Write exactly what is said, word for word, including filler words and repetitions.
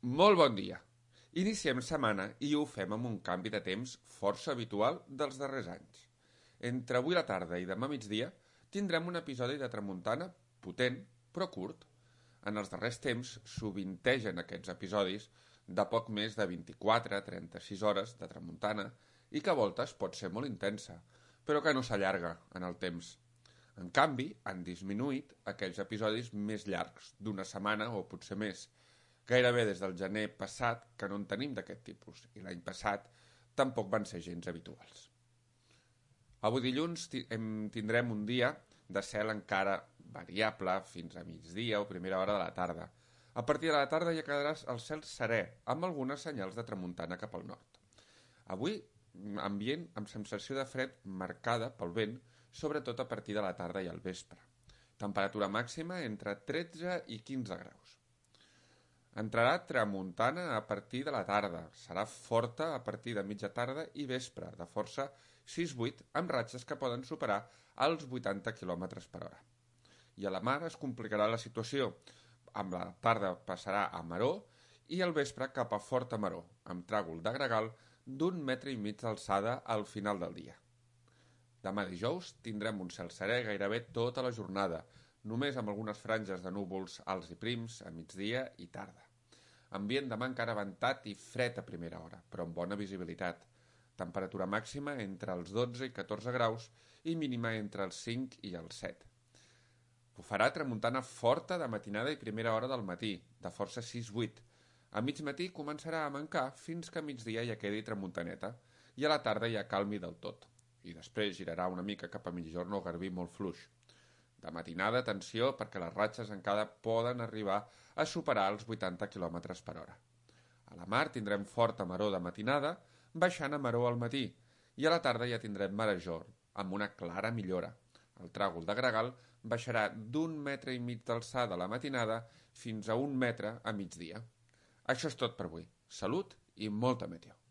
Molt bon dia. Iniciem setmana i ho fem amb un canvi de temps força habitual dels darrers anys. Entre avui a la tarda i demà migdia tindrem un episodi de tramuntana potent, però curt. En els darrers temps sovintegen aquests episodis de poc més de vint-i-quatre a trenta-sis hores de tramuntana i que a voltes pot ser molt intensa, però que no s'allarga en el temps. En canvi, han disminuït aquells episodis més llargs, d'una setmana o potser més, gairebé des del gener passat que no en tenim d'aquest tipus, i l'any passat tampoc van ser gens habituals. Avui dilluns tindrem un dia de cel encara variable fins a migdia o primera hora de la tarda. A partir de la tarda ja quedarà el cel serè, amb algunes senyals de tramuntana cap al nord. Avui, ambient amb sensació de fred marcada pel vent, sobretot a partir de la tarda i al vespre. Temperatura màxima entre tretze i quinze graus. Entrarà tramuntana a partir de la tarda. Serà forta a partir de mitja tarda i vespre, de força sis vuit, amb ratxes que poden superar els vuitanta quilòmetres per hora. I a la mar es complicarà la situació. Amb la tarda passarà a maró i al vespre cap a forta maró, amb tràgol de gregal d'un metre i mig d'alçada al final del dia. Demà dijous tindrem un cel serè gairebé tota la jornada, només amb algunes franges de núvols alts i prims a migdia i tarda. Ambient demà encara ventat i fred a primera hora, però amb bona visibilitat. Temperatura màxima entre els dotze i catorze graus i mínima entre els cinc i els set. Bufarà tramuntana forta de matinada i primera hora del matí, de força sis vuit. A mig matí començarà a mancar fins que a migdia ja quedi tramuntaneta i a la tarda ja calmi del tot. I després girarà una mica cap a mitjorn o garbí molt fluix. De matinada, atenció, perquè les ratxes encara poden arribar a superar els vuitanta quilòmetres per hora. A la mar tindrem forta maró de matinada, baixant a maró al matí, i a la tarda ja tindrem marejor, amb una clara millora. El tràgol de gregal baixarà d'un metre i mig d'alçada a la matinada fins a un metre a migdia. Això és tot per avui. Salut i molta meteo.